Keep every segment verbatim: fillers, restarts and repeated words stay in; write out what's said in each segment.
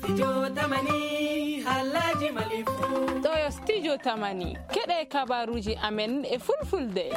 Studio Tamani, haalaaji Mali fuu. Ɗo yo Studio Tamani. Keɗe kabaruuji amen e fulfulde.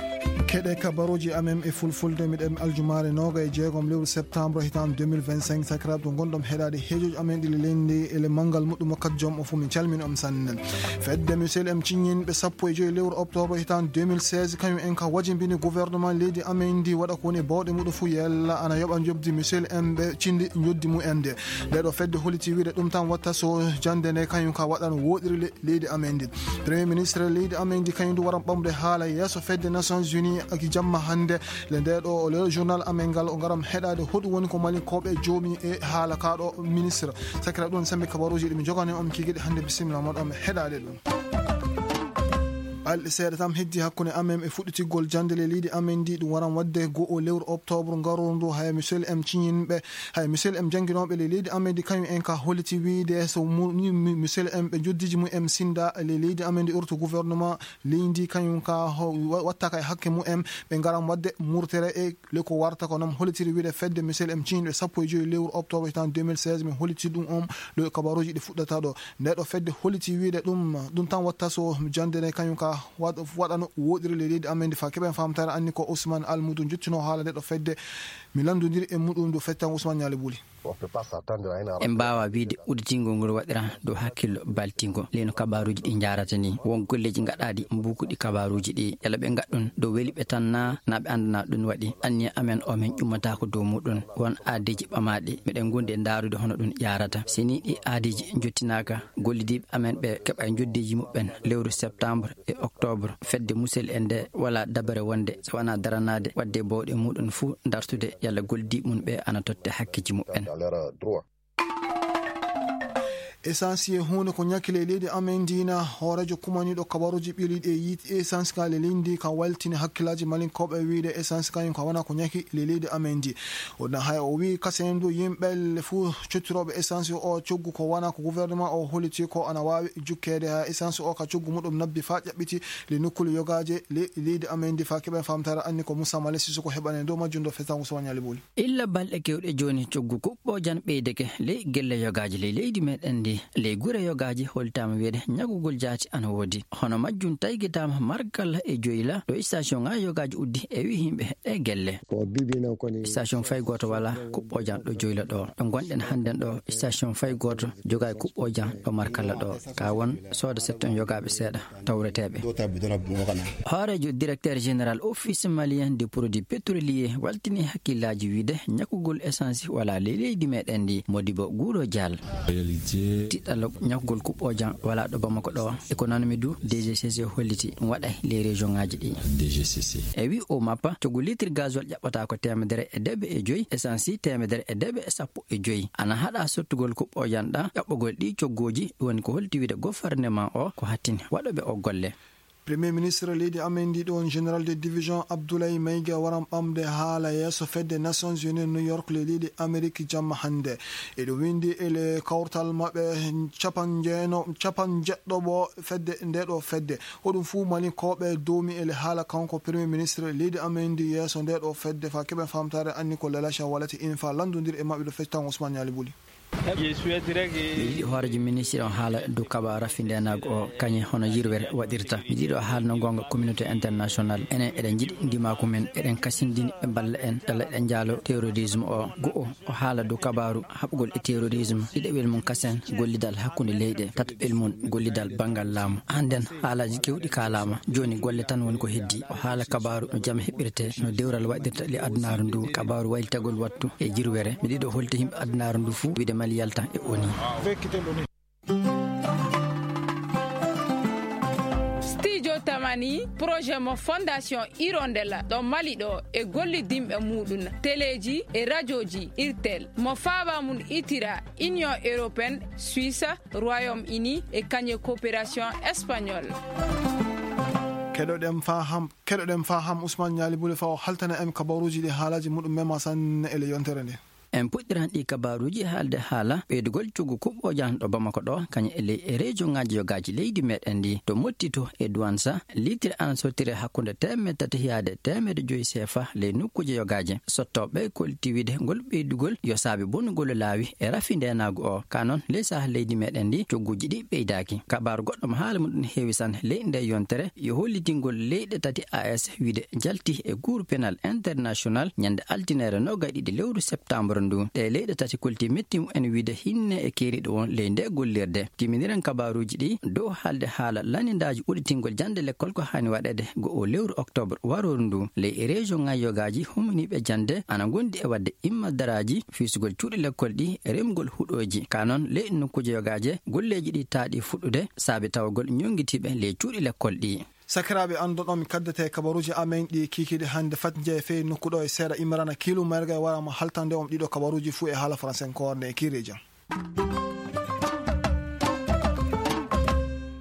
Keɗe kabaruuji amen e fulfulde. Miɗen aljumaare nooga e jeegom lewru septembre hitaande deux mille vingt-cinq. Sakiraaɓe, to ngonɗon heɗaade heejooji amen ɗi le leydi e le manngal muɗɗum wakkati joom o fof, min calmini on sanne. Fedde Michel M. Ciññin ɓe sappo e joyi lewru octobre hitaande deux mille seize, kañum en ka wajimbini gouvernement leydi amen ndi waɗa ko woni bawɗe muɗum fof yella ana yoɓa njoɓdi Michel M ɓe cindi njoɓdi mum en nde. Nde ɗo fedde holiti wiide ɗum tan watta so jannde nde kañum ka waɗan woɗiri le-, leydi amen ndi. Premier ministre leydi amen ndi kañum ndu waran ɓamde haala yeeso fedde Nations Unies aki jamma hannde. Le nde ɗo le journal amen ngal o ngaram heɗaade hoɗum woni ko Malinkooɓe joomi e haala ka ɗo ministre. Sakira ɗum sembe kabaruuji ɗi mi jogani on kikiɗe hannde, bisimilla moɗon heɗaade ɗum. Balɗe seeɗa tan heddi hakkunde amen e fuɗɗitigol jannde le leydi amen ndi, ɗum waran waɗde goo lewru octobre ngarooru ndu. Haya Michel M. Ciñinɓe, haya Michel M. jannginooɓe le leydi amen ndi, kañum en ka holliti wiide so mu-, ni-, mi-, Michel M. ɓe njoddiji mum en sinda le leydi amen ndi, orto gouvernement leydi ndi, kañum ka ho-, wa-, watta ka e hakke mum en, ɓe ngaran waɗde murtere e le ko warta ko noon hollitiri wiide fedde Michel M. Ciñinɓe sappo e joyi lewru octobre hitaande deux mille seize, mi holliti ɗum on le kabaruuji ɗi fuɗɗata ɗo. Nde ɗo fedde holliti wiide ɗum, ɗum tan watta so jannde nde kañum ka waɗ-, waɗano woɗiri le leydi amen ndi fa keɓen famtaare anni ko Ousmane Almoudou jottino haala nde ɗo fedde. Mi lanndondiri e muɗum ndu fettan Ousmane Ñaali Buli. En mbaawa wiyde udditingol ngol waɗira dow hakkillo baltingo leyno kabaruuji ɗi njaarata ni. Won golleeji ngaɗaaɗi mbuukuɗi kabaruuji ɗi. Yala ɓe ngaɗɗun dow weli ɓe tan na, na ɓe anndana ɗum waɗi. Anniya amen o min ƴummataako dow muɗum. Won aadeeji ɓamaaɗi. Miɗen ngondi e ndaarude hono ɗum yaarata. Si ni ɗi aadeeji njottinaaka, gollidiiɓe amen ɓe keɓa e njoddeeji muɓɓen lewru septembre e octobre. Fedde musel e nde wala dabare wonde so wona daranaade waɗde bawɗe muɗum fuu dartude yalla gollidiiɓe mum ɓe ana totte hakkeeji muɓɓen. Essence e huunde ko ñakki le leydi amen ndi na. Hooreejo kumaniiɗo kabaruuji ɓiiliiɗi e yiite essence ka le leydi ndi ka waltini hakkillaaji Malinkooɓe wiide essence kañum ka wona ko ñakki le leydi amen ndi. O na hay o wii kasen du yimɓe le fuu cottirooɓe essence o coggu ko wona ko gouvernement o holliti ko ana waawi jukkeede ha essence o ka coggu muɗum nabbi faa ƴaɓɓiti le nokkuule yogaaje le leydi amen ndi. Fa keɓen famtaare anni ko Moussa Malé Sissoko heɓani dow majjum ɗo fetango Sowa Ñaali Buli. Illa balɗe kewɗe jooni coggu kuɓɓoojan ɓeydeke ley gelle yogaaji ley leydi meɗen ndi. Ley gure yogaaji holtaama wiyeede ñagugol jaati ana woodi. Hono majjum taygitaama markalla e joyla ɗo station ŋaaji yogaaji uddi e wi yimɓe e gelle. Station fay gooto wala kuɓɓoojan ɗo joyla ɗo. Ɗo ngonɗen hannden ɗo station fay gooto jogaay kuɓɓoojan ɗo markalla ɗo. Ka won sooda setton yogaaɓe seeɗa tawreteeɓe. Hooreejo directeur général office malien de produits pétroliers waltini hakkillaaji wiide ñakugol essence wala ley leydi meɗen ndi. Modibo Guuro Dial. Tiɗɗalo ñakugol kuɓɓoojan wala ɗo Bamako ɗo. E ko nanmi du, D G C C holliti ɗum waɗa ley région ŋaaji ɗi. E wi o mappa, coggu litre gasoil ƴaɓɓata ko teemedere e deeɓe e joyi, essence teemedere e deeɓe e sappo e joyi. Ana haɗa sottugol kuɓɓoojan ɗa, ƴaɓɓogol ɗi coggooji, ɗum woni ko holti wiide gouvernement o ko hattini waɗoɓe o golle. Premier ministre leydi amen ndi ɗon, général de division Abdoulaye Maïga waran ɓamde haala yeeso fedde Nations Unies New York le leydi Amérique jamma hannde. Eɗo winndi e le kawtal maɓɓe capanjeeno, capanjeɗɗo ɓo fedde nde ɗo fedde. Hoɗum fuu Malinkooɓe doomi e le haala kanko premier ministre leydi amen ndi yeeso nde ɗo fedde fa keɓen famtaare anni ko Lalacha Walati in fa lanndondir e maɓɓe ɗo fecci tan Ousmane Ñaali Buli. Mi yiɗi hooreejo ministre on haala dow kabaaru raffindenaago o, kañe hono yirwere waɗirta. Mi yiɗi o haala no goonga communauté international. Enen eɗen njiɗi ndimaaku men, eɗen kasindini ɓe mballa en, tala eɗen njaalo terrorisme o. Go'o, o haala dow kabaaru haɓugol e terrorisme. Ɗiɗaɓel mum kasen, gollidal hakkunde leyɗe. Tataɓel mum, gollidal banngal laamu. Hannden haalaaji kewɗi kaalaama. Jooni golle tan woni ko heddi. O haala kabaaru no jam heɓirte, no dewral waɗirta le adunaaru ndu, kabaaru waylitagol wattu e jirwere. Mi ɗiɗo holti yimɓe adunaaru ndu fuu, wiide Mali yalta e O N U. Studio Tamani, projet mo Fondation Hirondelle ɗo Mali ɗo e gollidinɓe muɗum, teleeji e rajooji Irtel, mo faaba mum itira Union Européenne, Suisse, Royaume-Uni e kañe coopération espagnol. Keɗoɗen faham, keɗoɗen faham Ousmane Ñaali Bule fa o haltana en kabaruuji ɗi haalaaji muɗum mema sanne e le yontere nde. En puɗɗiran ɗi kabaaruuji haalde haala ɓeydugol coggu kuɓɓoojan ɗo Bamako ɗo, kañum e ley e région ŋaaji yogaaji leydi meɗen ndi. To Mottito e Duwansa, litre ana sottire hakkunde teemeɗe tati yaade teemeɗe joyi seefa ley nokkuuje yogaaji. Sottooɓe kolti wiide ngol ɓeydugol yo saabe bonugol laawi e rafi ndeenaagu o. Ka noon, ley saha leydi meɗen ndi, cogguuji ɗi ɓeydaaki. Kabaaru goɗɗo mo haala mum ɗum heewi san ley nde yontere yo hollitingol leyɗe tati A S wiide jalti e Cour pénal international ñande altine noogay ɗiɗi lewru septembre ndu. Ɗe leyɗe tati kolti metti mumen wiide hinne e keeriɗo won ley nde gollirde. Timminiren kabaaruuji ɗi dow haalde haala lanindaaji uɗitingol jannde lekkol ko haani waɗeede go o lewru octobre warooru ndu. Ley e région ŋaaji yogaaji, humaniiɓe jannde ana ngondi e waɗde imma daraaji, fiisugol cuuɗi lekkol ɗi, remgol huɗooji. Ka noon, ley nokkuuje yogaaje, golleeji ɗi taaɗi fuɗɗude, saabi tawagol ñonngitiiɓe ley cuuɗi lekkol ɗi. Sakiraaɓe, anndon on mi kaddete kabaruuji amen ɗi kiikiiɗe hannde. Fat njeye fey nokku ɗo e seeɗa. Imrana Kiilu Merga e wara mo haltande on ɗiɗo kabaruuji fuu e haala faransenkoore nde e kiireeji am.